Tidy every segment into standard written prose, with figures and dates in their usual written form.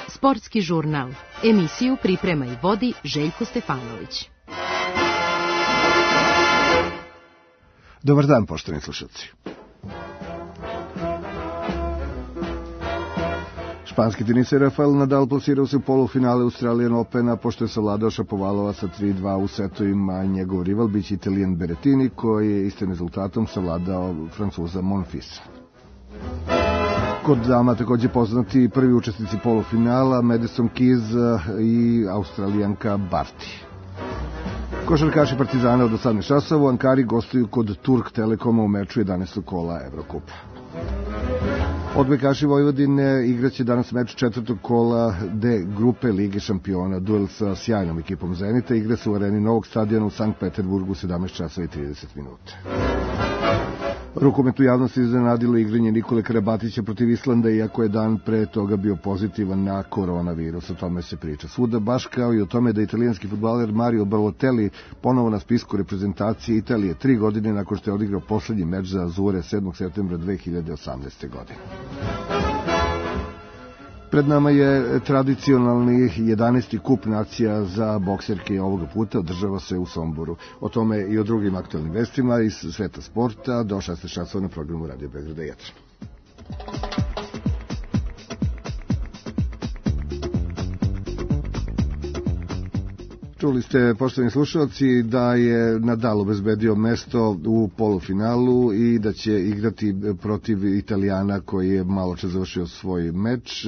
Sportski žurnal. Emisiju priprema i vodi Željko Stefanović. Dobar dan, poštovani slušalci. Španski teniser Rafael Nadal plasirao se u polufinale Australian Opena pošto je savladao Šapovalova sa 3-2 u setovima. Njegov rival biće Italijan Berrettini koji je istim rezultatom savladao Francuza Monfilsa. Kod dama takođe poznati prvi učesnici polufinala Madison Keys i Australijanka Barty. Košarkaši Partizana od 18 časova u Ankari gostuju kod Turk Telekoma u meču 11. kola Evrokupa. Odbojkaši Vojvodine igraće danas meč 4. kola D grupe Lige šampiona. Duel sa sjajnom ekipom Zenita igra se u areni Novog stadiona u Sankt Peterburgu 17 časova i 30 minuta. Rukomet u javnosti iznenadilo igranje Nikole Karabatića protiv Islanda, iako je dan pre toga bio pozitivan na koronavirus. O tome se priča svuda, baš kao i o tome da italijanski fudbaler Mario Balotelli ponovo na spisku reprezentacije Italije 3 godine nakon što je odigrao poslednji meč za Azure 7. septembra 2018. godine. Pred nama je tradicionalni 11. kup nacija za bokserke ovoga puta, održava se u Somboru. O tome i o drugim aktualnim vestima iz sveta sporta do 16 časova na programu Radio Beograda 1. Čuli ste, poštovani slušalci, da je Nadal obezbedio mesto u polufinalu i da će igrati protiv Italijana koji je malo čas završio svoj meč,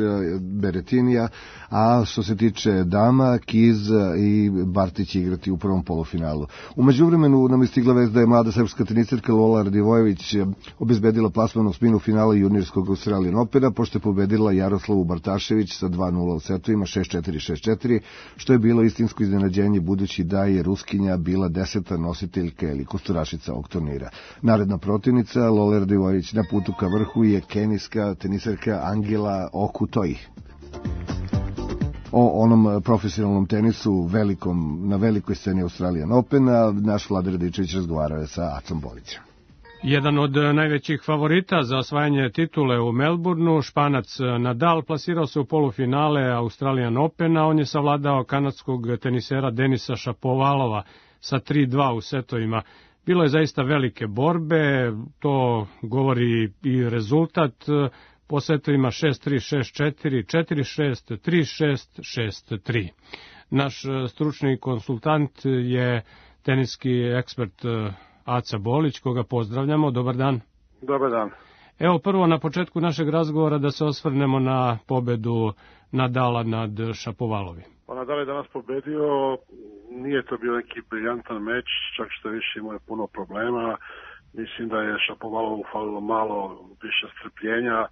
Berrettinija, a što se tiče dama, Kiz i Barty će igrati u prvom polufinalu. U međuvremenu nam je stigla vest da je mlada srpska teniserka Lola Radivojević obezbedila plasman u sminu finala juniorskog Australian Opena, pošto je pobedila Jaroslavu Bartašević sa 2-0 u setovima 6-4, 6-4, što je bilo istinsko iznenađenje budući da je Ruskinja bila 10. nositeljka ili kusturašica ovog turnira. Naredna protivnica Lola Radivojević na putu ka vrhu je kenijska teniserka Angela Okutoji. O onom profesionalnom tenisu na velikoj sceni Australian Opena naš Vlada Radičević razgovarao je sa Acom Bolićem. Jedan od najvećih favorita za osvajanje titule u Melbourneu, Španac Nadal, plasirao se u polufinale Australian Opena. On je savladao kanadskog tenisera Denisa Šapovalova sa 3-2 u setovima. Bilo je zaista velike borbe, to govori i rezultat. Po setovima 6-3, 6-4, 4-6, 3-6, 6-3. Naš stručni konsultant je teniski ekspert Aca Bolić, koga pozdravljamo. Dobar dan. Dobar dan. Evo prvo na početku našeg razgovora da se osvrnemo na pobedu Nadala nad Šapovalovim. Pa Nadal je danas pobedio, nije to bio neki briljantan meč, čak što više imao je puno problema. Mislim da je Šapovalovu falilo malo više strpljenja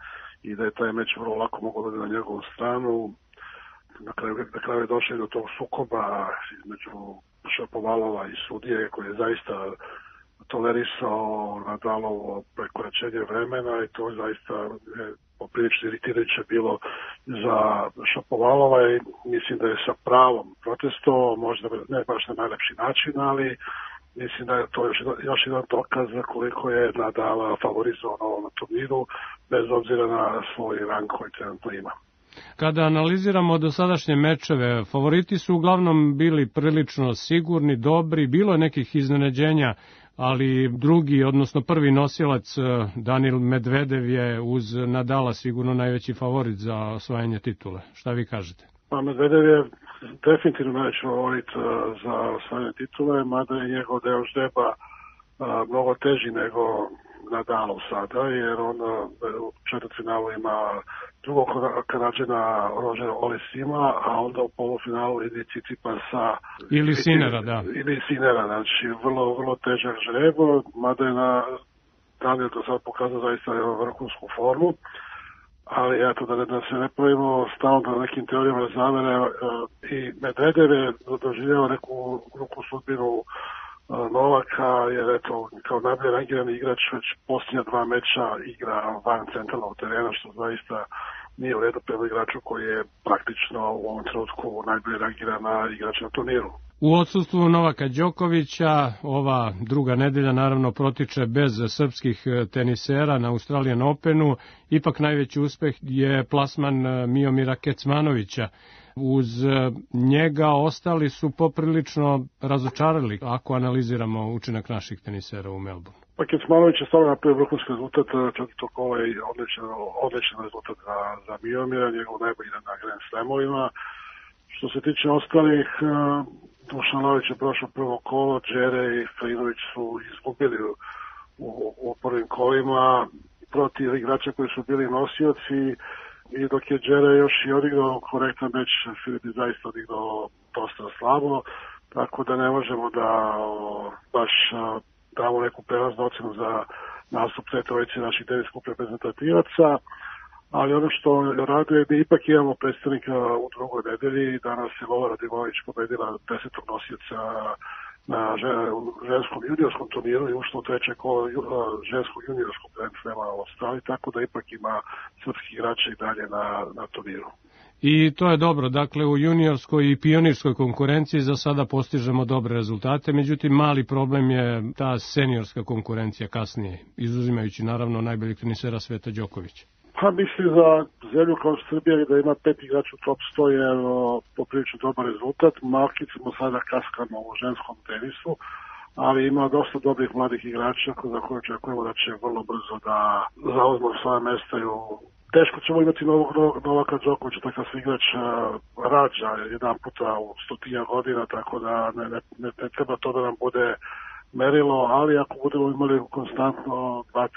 i da je taj meč vrlo lako mogao da na njegovu stranu. Na kraju je došao do tog sukoba između Šapovalova i sudije koji je zaista tolerisao Nadalovo prekoračenje vremena i to zaista je poprilično iritirajuće bilo za Šapovalova i mislim da je sa pravom protestovao, možda ne baš na najlepši način, ali mislim da je to još jedan dokaz za koliko je Nadala favorizovano na turniru, bez obzira na svoj rang koji trenutno ima. Kada analiziramo dosadašnje mečeve, favoriti su uglavnom bili prilično sigurni, dobri, bilo je nekih iznenađenja, ali drugi, odnosno prvi nosilac Danil Medvedev je uz Nadala sigurno najveći favorit za osvajanje titule. Šta vi kažete? Pa Medvedev je definitivno najveći favorit za osvajanje titule, mada je njegov deo žreba mnogo teži nego Nadalov sada, jer on u četvrtfinalu ima drugog Kanadžana Rožera Olesima, a onda u polufinalu ide Cicipasa ili Sinera, da. Ili Sinera, znači vrlo težak žreb, mada je na Danil do sada pokazao zaista vrhunsku formu, ali eto da se ne pravimo stalno na nekim teorijama zavere i Medvedev je doživljava neku sudbinu Novaka, jer eto, kao najbolje rangirani igrač već posljednja 2 meča igra van centralnog terena, što zaista nije u redu prema igraču koji je praktično u ovom trenutku najbolje rangirana igrač na turniru. U odsustvu Novaka Đokovića ova druga nedelja naravno protiče bez srpskih tenisera na Australian Openu. Ipak najveći uspeh je plasman Miomira Kecmanovića. Uz njega ostali su poprilično razočarali ako analiziramo učinak naših tenisera u Melbourneu. Pa Kecmanović je stvarno napravio vrhunski rezultat, čak i toko odličan rezultat za Miomira, njegov najbolji na Grand Slamovima. Što se tiče ostalih, Dušan Lavić je prošao prvo kolo, Đere i Frinović su izgubili u prvim kolima protiv igrača koji su bili nosioci, i dok je Đere još i odigrao korektan meč, Filip je zaista odigrao dosta slabo, tako da ne možemo da baš damo neku prelaznu ocenu za nastup te trojice naših teniskih reprezentativaca. Ali ono što raduje, mi ipak imamo predstavnika u drugoj nedelji. Danas je Lola Radivanović pobedila 10. nosioca na ženskom juniorskom turniru i ušla u treće kolo ženskog juniorskog Grand Slama u Australiji, tako da ipak ima srpski igrača i dalje na turniru. I to je dobro, dakle u juniorskoj i pionirskoj konkurenciji za sada postižemo dobre rezultate, međutim mali problem je ta seniorska konkurencija kasnije, izuzimajući naravno najboljeg tenisera sveta Đokovića. Pa mislim za zemlju kao Srbija da ima 5 igrača u top 100 je poprilično dobar rezultat. Malkice mu sada kaskamo u ženskom tenisu, ali ima dosta dobrih mladih igrača za koje očekujemo da će vrlo brzo da zauzmu svoje mesta. Teško ćemo imati Novaka Đokovića, takav igrač rađa jedan puta u 100 godina, tako da ne treba to da nam bude merilo, ali ako budemo imali konstantno 2-3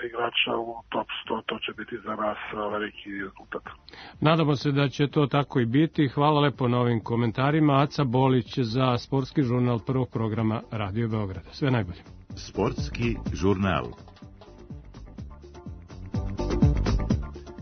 igrača u top 100, to će biti za nas veliki rezultat. Nadamo se da će to tako i biti. Hvala lepo na ovim komentarima. Aca Bolić za Sportski žurnal prvog programa Radio Beograda. Sve najbolje. Sportski žurnal.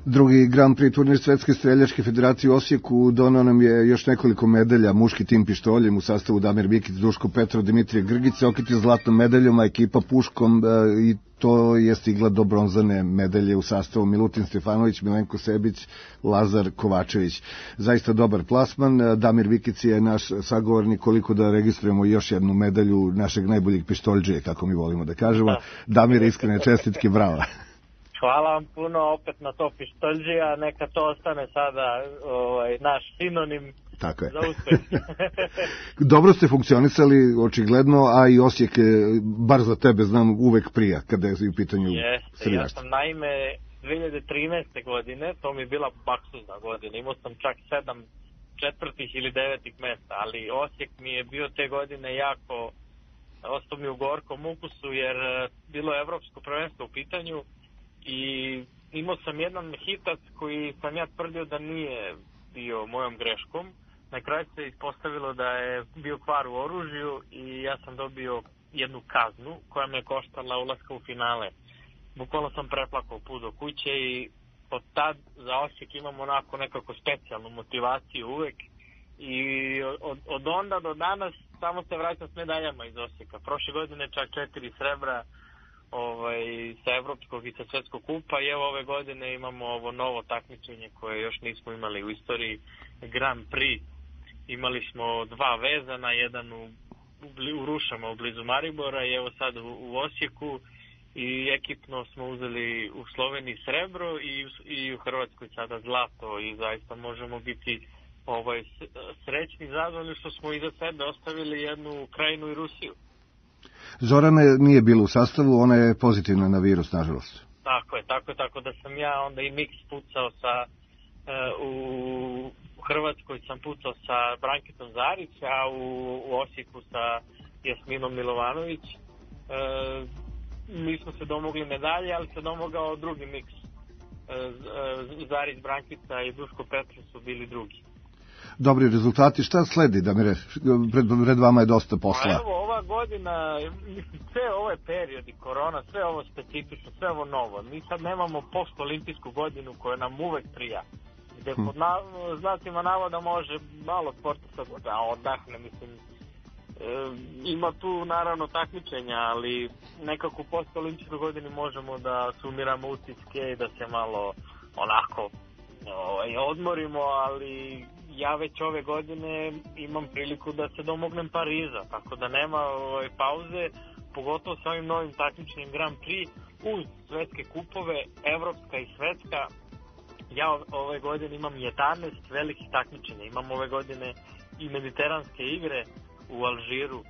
Drugi Grand Prix turnir Svetske streljačke federacije u Osijeku donao nam je još nekoliko medalja. Muški tim pištoljem u sastavu Damir Bikić, Duško Petrov, Dimitrije Grgić se okitio zlatnom medaljom, a ekipa puškom i to je stigla do bronzane medalje u sastavu Milutin Stefanović, Milenko Sebić, Lazar Kovačević. Zaista dobar plasman. Damir Bikić je naš sagovornik, koliko da registrujemo još jednu medalju našeg najboljeg pištoljđe, kako mi volimo da kažemo. Damir, iskrene čestitke, bravo. Hvala vam puno opet na to pištoljđija, neka to ostane sada naš sinonim za uspeh. Dobro ste funkcionisali, očigledno, a i Osijek, bar za tebe znam, uvek prija kada je u pitanju streljaštva. Ja sam naime 2013. godine, to mi je bila baksuzna godina, imao sam čak 7 četvrtih ili 9 mesta, ali Osijek mi je bio te godine jako, ostao mi u gorkom ukusu jer bilo je evropsko prvenstvo u pitanju. I imao sam jedan hitac koji sam ja tvrdio da nije bio mojom greškom. Na kraju se ispostavilo da je bio kvar u oružju i ja sam dobio jednu kaznu koja me koštala ulaska u finale. Bukvalno sam preplakao put do kuće i od tad za Osijek imam onako nekako specijalnu motivaciju uvek. I od onda do danas samo se vraćam s medaljama iz Osijeka. Prošle godine čak 4 srebra sa evropskog i sa svetskog kupa i evo ove godine imamo ovo novo takmičenje koje još nismo imali u istoriji, Grand Prix. Imali smo 2 vezana, jedan u Rušama u blizu Maribora i evo sad u Osijeku i ekipno smo uzeli u Sloveniji srebro i u Hrvatskoj sada zlato i zaista možemo biti srećni, zadovoljni što smo iza sebe ostavili jednu Ukrajinu i Rusiju. Zorana nije bila u sastavu, ona je pozitivna na virus, nažalost. Tako da sam ja onda i miks pucao u Hrvatskoj sam pucao sa Brankitom Zarić, a u Osijeku sa Jasminom Milovanović. Mi smo se domogli medalje, ali se domogao drugi miks. Zarić, Brankica i Duško Petrov su bili drugi. Dobri rezultati, šta sledi, Damire? Pred vama je dosta posla. Evo, ova godina, sve ove periodi, korona, sve ovo specifično, sve ovo novo. Mi sad nemamo post-olimpijsku godinu koja nam uvek prija. Gde pod znacima navoda može malo sporta sad da odahne, mislim. Ima tu naravno takmičenja, ali nekako u post-olimpijskoj godini možemo da sumiramo utiske i da se malo onako odmorimo, ali ja već ove godine imam priliku da se domognem Pariza, tako da nema pauze, pogotovo sa ovim novim takmičnim Grand Prix uz svetske kupove, evropska i svetska. Ja ove godine imam 11 velikih takmičenja, imam ove godine i mediteranske igre u Alžiru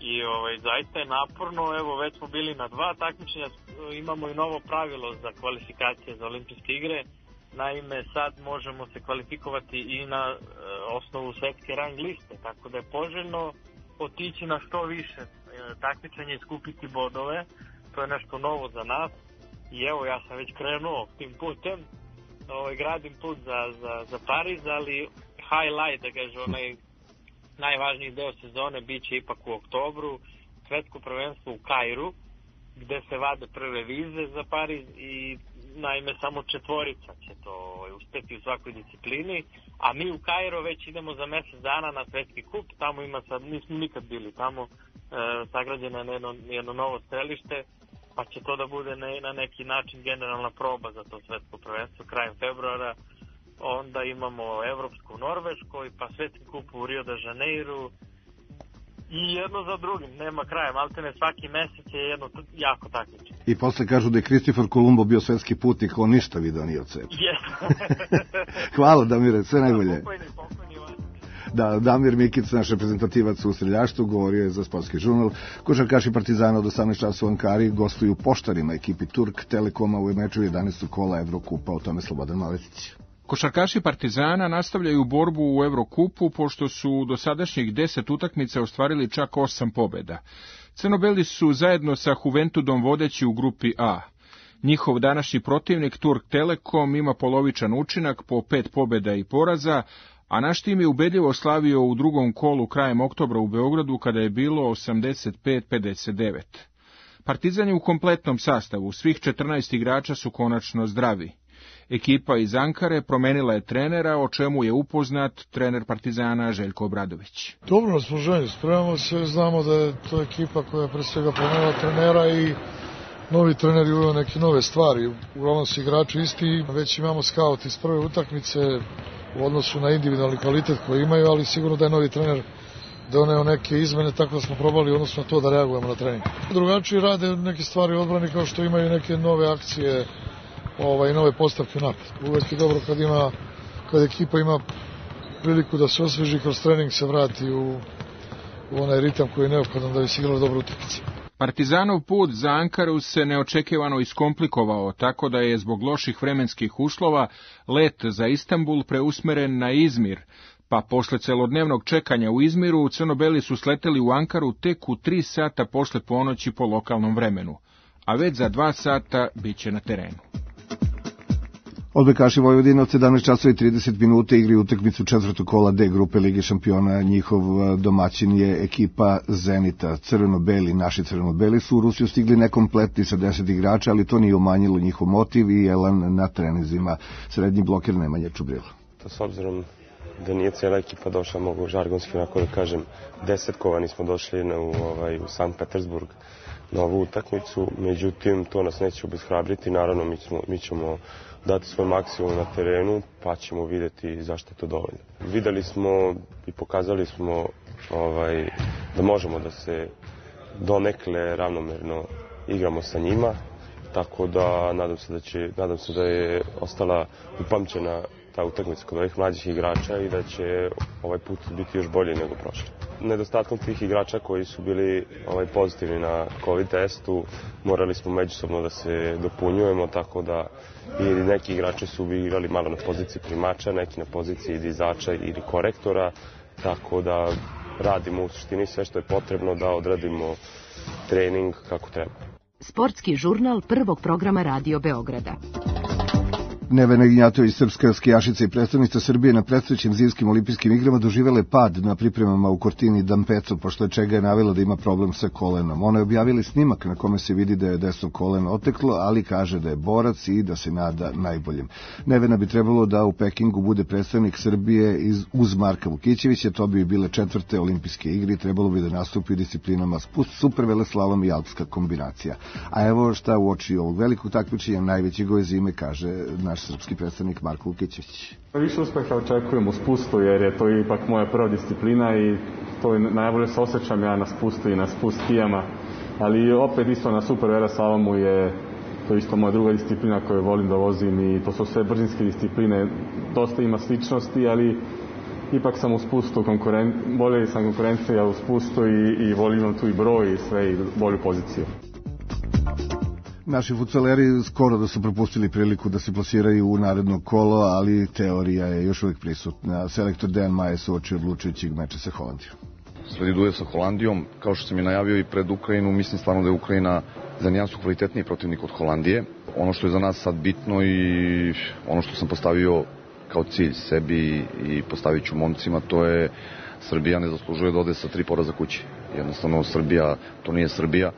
i zaista je naporno. Evo, već smo bili na 2 takmičenja, imamo i novo pravilo za kvalifikacije za olimpijske igre. Naime, sad možemo se kvalifikovati i na osnovu svetske rang liste, tako da je poželjno otići na što više takmičenja i skupiti bodove. To je nešto novo za nas i evo, ja sam već krenuo tim putem, gradim put za Pariz, ali highlight, da kažem, onaj najvažniji deo sezone bit će ipak u oktobru, svetsko prvenstvo u Kairu, gde se vade prve vize za Pariz i naime samo 4 će to uspeti u svakoj disciplini, a mi u Kairo već idemo za mjesec dana na svetski kup, tamo ima sad, nismo nikad bili tamo, sagrađeno je jedno novo strelište, pa će to da bude na neki način generalna proba za to svetsko prvenstvo krajem februara. Onda imamo evropsku u Norveškoj, pa svetski kup u Rio de Janeiru i jedno za drugim, nema kraja, maltene svaki mesec je jedno jako takmičenje. I posle kažu da je Kristofor Kolumbo bio svetski putnik, on ništa video nije od sebe. Hvala, Damire, sve najbolje. Da, Damir Mikic, naš reprezentativac u streljaštvu, govorio je za Sportski žurnal. Košarkaši Partizana od 18 časova u Ankari gostuju Poštarima, ekipi Turk Telekoma u meču 11. kola Evrokupa, o tome Slobodan Maletić. Košarkaši Partizana nastavljaju borbu u Evrokupu, pošto su u dosadašnjih 10 utakmica ostvarili čak 8 pobjeda. Crnobeli su zajedno sa Juventudom vodeći u grupi A. Njihov današnji protivnik Turk Telekom ima polovičan učinak po 5 pobjeda i poraza, a naš tim je ubedljivo slavio u drugom kolu krajem oktobra u Beogradu kada je bilo 85-59. Partizan je u kompletnom sastavu, svih 14 igrača su konačno zdravi. Ekipa iz Ankare promenila je trenera, o čemu je upoznat trener Partizana Željko Obradović. Dobro raspoloženje, spremamo se, znamo da je to ekipa koja je pre svega promenila trenera i novi trener je uveo neke nove stvari. Uglavnom su igrači isti, već imamo skaut iz prve utakmice u odnosu na individualni kvalitet koji imaju, ali sigurno da je novi trener doneo neke izmene, tako da smo probali odnosno na to da reagujemo na trening. Drugačiji rade neke stvari u odbrani, kao što imaju neke nove akcije i nove postavke napad. Uvek je dobro kad ekipa ima priliku da se osveži, kroz trening se vrati u onaj ritam koji je neophodan da bi se igrala dobra utakmica. Partizanov put za Ankaru se neočekivano iskomplikovao, tako da je zbog loših vremenskih uslova let za Istanbul preusmeren na Izmir, pa posle celodnevnog čekanja u Izmiru crnobeli su sleteli u Ankaru tek u 3 sata posle ponoći po lokalnom vremenu, a već za 2 sata bit će na terenu. Odbojkaši Vojvodine od 17 časova i 30 minuta igri utakmicu 4. kola D grupe Lige šampiona. Njihov domaćin je ekipa Zenita. Crveno-beli, naši crveno-beli su u Rusiju stigli nekompletni sa 10 igrača, ali to nije umanjilo njihov motiv i elan na treninzima. Srednji bloker Nemanja Čubrila. S obzirom da nije cijela ekipa došla, mogu žargonski onako da kažem, 10-kovani smo došli u Sankt Petersburg na ovu utakmicu, međutim to nas neće obeshrabriti, naravno mi ćemo dati svoj maksimum na terenu, pa ćemo vidjeti zašto je to dovoljno. Videli smo i pokazali smo da možemo da se donekle ravnomerno igramo sa njima, tako da nadam se da je ostala upamćena ta utakmica kod ovih mlađih igrača i da će ovaj put biti još bolji nego prošli. Nedostatkom tih igrača koji su bili pozitivni na COVID testu, morali smo međusobno da se dopunjujemo, tako da i neki igrači su igrali malo na poziciji primača, neki na poziciji dizača ili korektora, tako da radimo u suštini sve što je potrebno da odradimo trening kako treba. Sportski žurnal prvog programa Radio Beograda. Nevena Ignjatović, srpska skijašica i predstavnica Srbije na predstojećim zimskim olimpijskim igrama, doživjela pad na pripremama u Cortini d'Ampezzo, pošto čega je navela da ima problem sa kolenom. Ona je objavila snimak na kome se vidi da je desno koleno oteklo, ali kaže da je borac i da se nada najboljem. Nevena bi trebalo da u Pekingu bude predstavnik Srbije uz Marka Vukićevića, to bi bile 4. olimpijske igre i trebalo bi da nastupi u disciplinama superveleslalom i alpska kombinacija. A evo šta u oči ovog velikog takmičenja najvećeg ove zime kaže naš naš srpski predstavnik Marko Vukićević. Više uspeha očekujem u spustu jer je to ipak moja prva disciplina i to je najbolje se osjećam ja na spustu i na spust skijama, ali opet isto na super veleslalomu je to isto moja druga disciplina koju volim da vozim i to su sve brzinske discipline, dosta ima sličnosti, ali ipak sam u spustu, bolje sam konkurencija u spustu i volim tu i broj i sve i bolju poziciju. Naši futsaleri skoro da su propustili priliku da se plasiraju u naredno kolo, ali teorija je još uvijek prisutna. Selektor Dejan Majes uoči odlučujućeg meča sa Holandijom. Sledi duel sa Holandijom, kao što sam je najavio i pred Ukrajinu, mislim stvarno da je Ukrajina za nijansu kvalitetniji protivnik od Holandije. Ono što je za nas sad bitno i ono što sam postavio kao cilj sebi i postavit ću momcima, to je Srbija ne zaslužuje da ode sa 3 poraza kući. Jednostavno Srbija, to nije Srbija.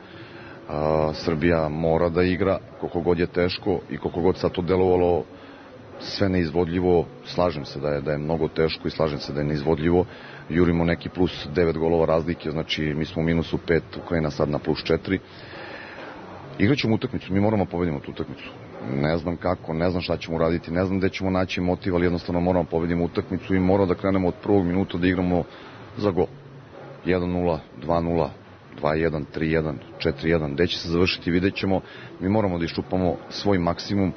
Srbija mora da igra koliko god je teško i koliko god sad to delovalo sve neizvodljivo, slažem se da je mnogo teško i slažem se da je neizvodljivo. Jurimo neki plus 9 golova razlike, znači mi smo u minusu 5, Ukrajina sad na plus 4. Igraćemo utakmicu, mi moramo pobedimo tu utakmicu. Ne znam kako, ne znam šta ćemo raditi, ne znam gde ćemo naći motiv, ali jednostavno moramo pobedimo utakmicu i moramo da krenemo od prvog minuta da igramo za gol. 1-0, 2-0, 2-1, 3-1, 4-1, gde će se završiti, vidjet ćemo. Mi moramo da iščupamo svoj maksimum,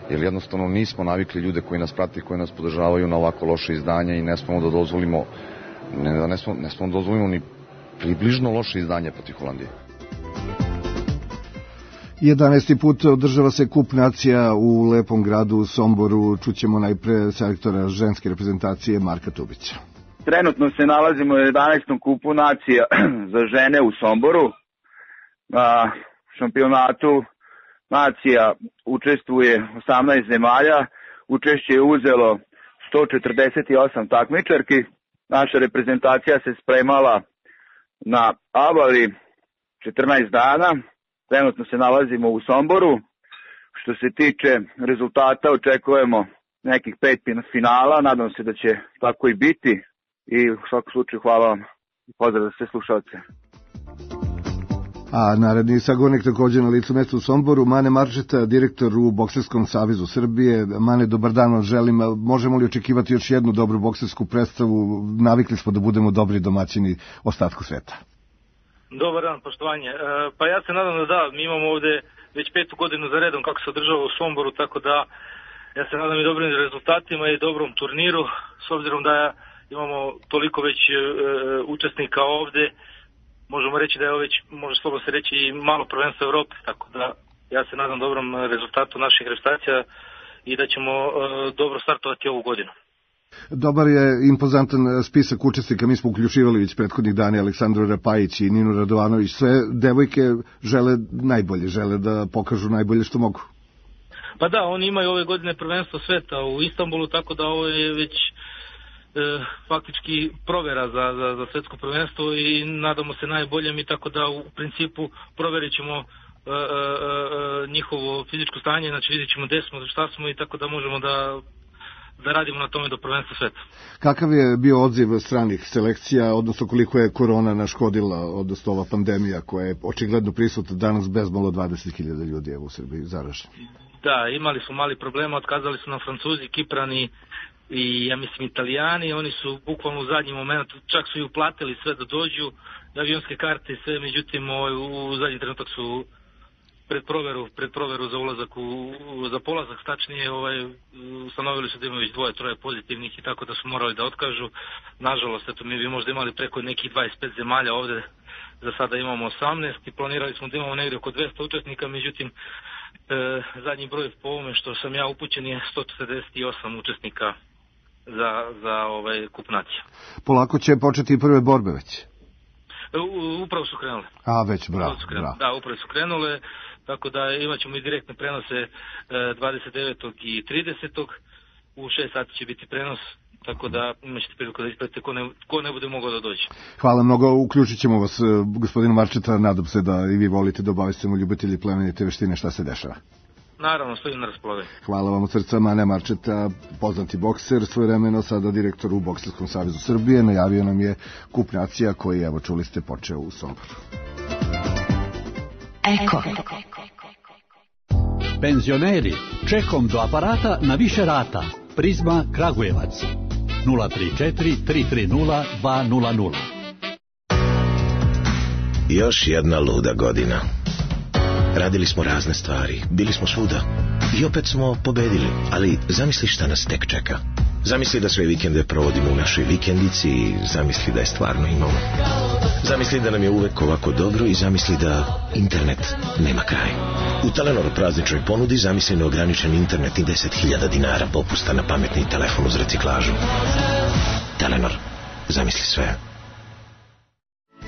jer jednostavno nismo navikli ljude koji nas prati, koji nas podržavaju na ovako loše izdanje i ne smemo da dozvolimo, ne smemo da dozvolimo ni približno loše izdanje protiv Holandije. 11. put održava se kup nacija u lepom gradu u Somboru. Čućemo najpre selektora ženske reprezentacije Marka Tubića. Trenutno se nalazimo u 11. kupu nacija za žene u Somboru. Na šampionatu nacija učestvuje 18 zemalja. Učešće je uzelo 148 takmičarki. Naša reprezentacija se spremala na Abali 14 dana. Trenutno se nalazimo u Somboru. Što se tiče rezultata, očekujemo nekih 5 finala. Nadam se da će tako i biti. I u svakom slučaju hvala vam i pozdrav za sve slušalce. A naredni sagovornik također na licu mesta u Somboru, Mane Marčeta, direktor u Bokserskom savezu Srbije. Mane, dobar dan vam želim. Možemo li očekivati još jednu dobru boksersku predstavu? Navikli smo da budemo dobri domaćini ostatku sveta. Dobar dan, poštovanje. Pa ja se nadam da mi imamo ovde već 5. godinu za redom kako se održava u Somboru, tako da ja se nadam i dobrim rezultatima i dobrom turniru, s obzirom da imamo toliko već učesnika ovde. Možemo reći da je ovo već, može slobodno se reći, i malo prvenstvo Evrope, tako da ja se nadam dobrom rezultatu naših reprezentacija i da ćemo dobro startovati ovu godinu. Dobar je impozantan spisak učesnika, mi smo uključivali već prethodnih dana Aleksandru Rapajić i Ninu Radovanović. Sve devojke žele najbolje, žele da pokažu najbolje što mogu. Pa da, oni imaju ove godine prvenstvo sveta u Istanbulu, tako da ovo je već faktički provera za svetsko prvenstvo i nadamo se najboljem i tako da u principu proverit ćemo njihovo fizičko stanje, znači vidjet ćemo gde smo, šta smo i tako da možemo da radimo na tome do prvenstva sveta. Kakav je bio odziv stranih selekcija, odnosno koliko je korona naškodila, odnosno ova pandemija koja je očigledno prisutna danas, bezmalo 20.000 ljudi u Srbiji zaraženi? Da, imali su mali problema, otkazali su nam Francuzi, Kiprani i ja mislim Italijani, oni su bukvalno u zadnji moment, čak su i uplatili sve da dođu, avionske karte i sve, međutim u zadnji trenutak su pred proveru za ulazak za polazak, tačnije ustanovili su da imaju već 2-3 pozitivnih i tako da su morali da otkažu. Nažalost, eto, mi bi možda imali preko nekih 25 zemalja ovde, za sada imamo 18 i planirali smo da imamo negdje oko 200 učesnika, međutim zadnji broj po ovome što sam ja upućen je 148 učesnika za kup nacija. Polako će početi i prve borbe već? Upravo su krenule. A, već, bravo. Da, upravo su krenule, tako da imat ćemo i direktne prenose 29. i 30. U 6 sati će biti prenos, tako da imaćete priliku da ispratite ko ne bude mogao da dođe. Hvala mnogo, uključit ćemo vas, gospodinu Marčeta, nadam se da i vi volite da obavestimo ljubitelji plemenite veštine šta se dešava. Naravno, stojim na raspolaganju. Hvala vam od srca, Mane Marčeta, poznati bokser, svojevremeno sada direktor u Bokserskom savezu Srbije, najavio nam je kup nacija koji, evo čuli ste, počeo u Somboru. Eko. Penzioneri, čekom do aparata na više rata. Prizma Kragujevac 034 330 200. Još jedna luda godina. Radili smo razne stvari, bili smo svuda i opet smo pobedili, ali zamisli šta nas tek čeka. Zamisli da sve vikende provodimo u našoj vikendici i zamisli da je stvarno imamo. Zamisli da nam je uvek ovako dobro i zamisli da internet nema kraj. U Telenor prazničnoj ponudi zamisli neograničen internet i 10.000 dinara popusta na pametni telefon uz reciklažu. Telenor, zamisli sve.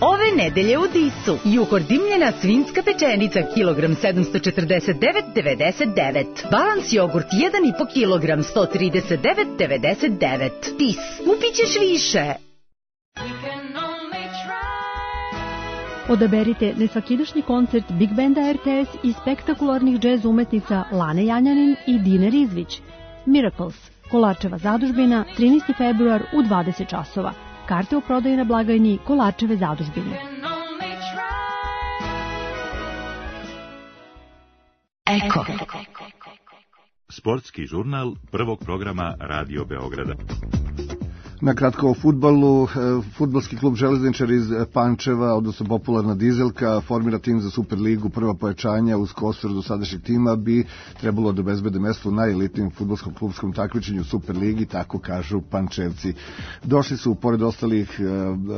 Ove nedelje u Disu Juhor dimljena svinjska pečenica kilogram 749,99. Balans jogurt 1,5 kilogram 139,99. Dis, kupit ćeš više. Odaberite nesvakidašnji koncert Big Banda RTS i spektakularnih džez umetnica Lane Janjanin i Dine Rizvić. Miracles, Kolarčeva zadužbina, 13. februar u 20 časova. Karte u prodaji na blagajni Kolarčeve zadužbine. Eko. Sportski žurnal prvog programa Radio Beograda. Na kratko o fudbalu, fudbalski klub Železničar iz Pančeva, odnosno popularna Dizelka, formira tim za Superligu. Prva pojačanja uz kostur do sadašnjeg tima bi trebalo da obezbede mesto u najelitnijem fudbalskom klubskom takmičenju Superligi, tako kažu Pančevci. Došli su, pored ostalih,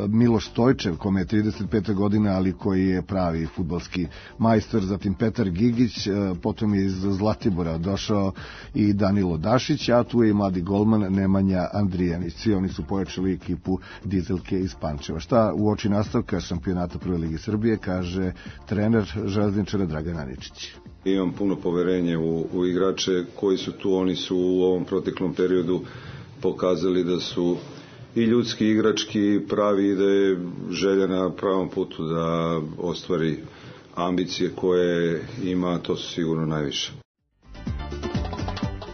Miloš Stojčev, kome je 35 godina, ali koji je pravi fudbalski majstor, zatim Petar Gigić, potom je iz Zlatibora došao i Danilo Dašić, a tu je i mladi golman Nemanja Andrijanić. Svi oni su pojačali ekipu Dizelke iz Pančeva. Šta u oči nastavka šampionata Prve ligi Srbije kaže trener Železničara Dragan Aničić. Imam puno poverenje u igrače koji su tu. Oni su u ovom proteklom periodu pokazali da su i ljudski, igrački pravi i da je želja na pravom putu da ostvari ambicije koje ima, to su sigurno najviše.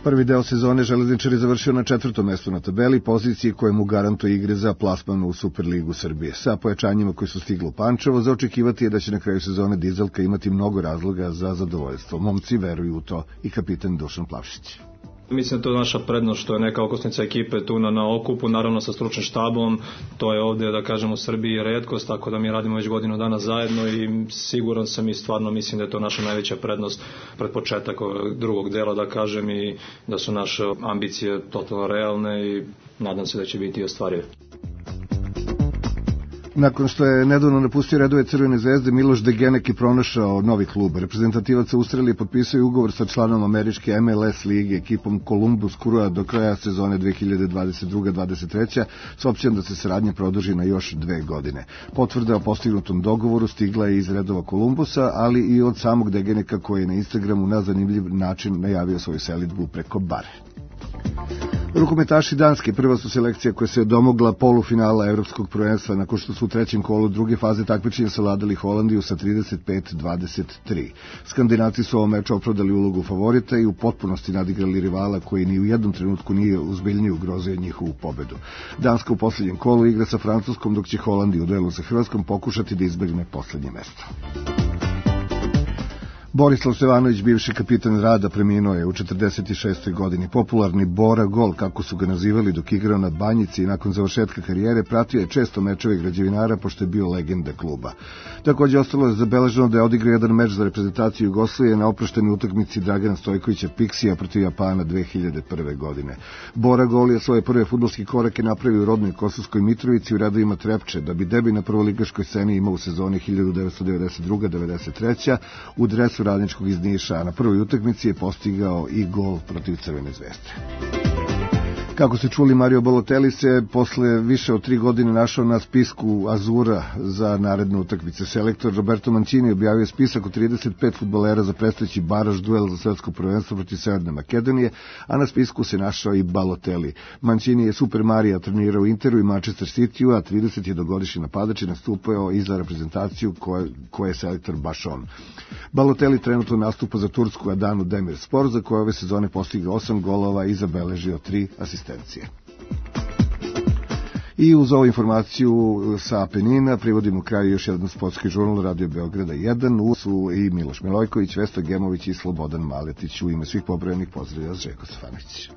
Prvi deo sezone Železničar je završio na 4. mestu na tabeli, poziciji koje mu garantuje igre za plasman u Superligu Srbije. Sa pojačanjima koji su stigli u Pančevo, za očekivati je da će na kraju sezone Dizelka imati mnogo razloga za zadovoljstvo. Momci veruju u to i kapitan Dušan Plavšić. Mislim da to je naša prednost što je neka okosnica ekipe tu na okupu, naravno sa stručnim štabom, to je ovdje, da kažem, u Srbiji retkost, tako da mi radimo već godinu dana zajedno i siguran sam i stvarno mislim da je to naša najveća prednost pred početak drugog dela, da kažem, i da su naše ambicije totalno realne i nadam se da će biti ostvarive. Nakon što je nedavno napustio redove Crvene zvezde, Miloš Degenek je pronašao novi klub. Reprezentativac Australije potpisao ugovor sa članom američke MLS lige, ekipom Columbus Crew do kraja sezone 2022-2023, s opcijom da se saradnja produži na još 2 godine. Potvrda o postignutom dogovoru stigla je iz redova Columbusa, ali i od samog Degeneka koji je na Instagramu na zanimljiv način najavio svoju selidbu preko bare. Rukometaši Danske prva su selekcija koja se domogla polufinala evropskog prvenstva nakon što su u trećem kolu druge faze takmičenja savladali Holandiju sa 35-23. Skandinavci su ovom meču opravdali ulogu favorita i u potpunosti nadigrali rivala koji ni u jednom trenutku nije uzbiljnije ugrozio njihovu pobedu. Danska u posljednjem kolu igra sa Francuskom, dok će Holandija u duelu sa Hrvatskom pokušati da izbegne poslednje mesto. Borislav Stevanović, bivši kapitan Rada, preminuo je u 46. godini. Popularni Bora Gol, kako su ga nazivali dok igrao na Banjici i nakon završetka karijere, pratio je često mečeve građevinara pošto je bio legenda kluba. Također ostalo je zabeleženo da je odigrao jedan meč za reprezentaciju Jugoslavije na oproštenoj utakmici Dragana Stojkovića Piksija protiv Japana 2001. godine. Bora Gol je svoje prve fudbalske korake napravio u rodnoj Kosovskoj Mitrovici u redovima Trepče, da bi debi na prvoligaškoj sceni imao u sezoni 1992-93 u dresu Radničkog iz Niša, a na prvoj utakmici je postigao i gol protiv Crvene zvezde. Kako ste čuli, Mario Balotelli se posle više od 3 godine našao na spisku Azura za naredne utakmice. Selektor Roberto Mancini objavio spisak od 35 fudbalera za predstojeći baraž duel za svetsko prvenstvo protiv Severne Makedonije, a na spisku se našao i Balotelli. Mancini je Super Marija trenirao u Interu i Manchester Cityu, a 31-godišnji napadač je nastupao i za reprezentaciju koje je selektor baš on. Balotelli trenutno nastupa za tursku Adanu Demirspor, za koje ove sezone postigao 8 golova i zabeležio 3 asistencije. I uz ovu informaciju sa Apenina privodimo kraju još jedan sportski žurnal Radio Beograda 1. U su i Miloš Milojković, Vesna Gemović i Slobodan Maletić. U ime svih pobrojenih pozdravlja Željko Stefanović.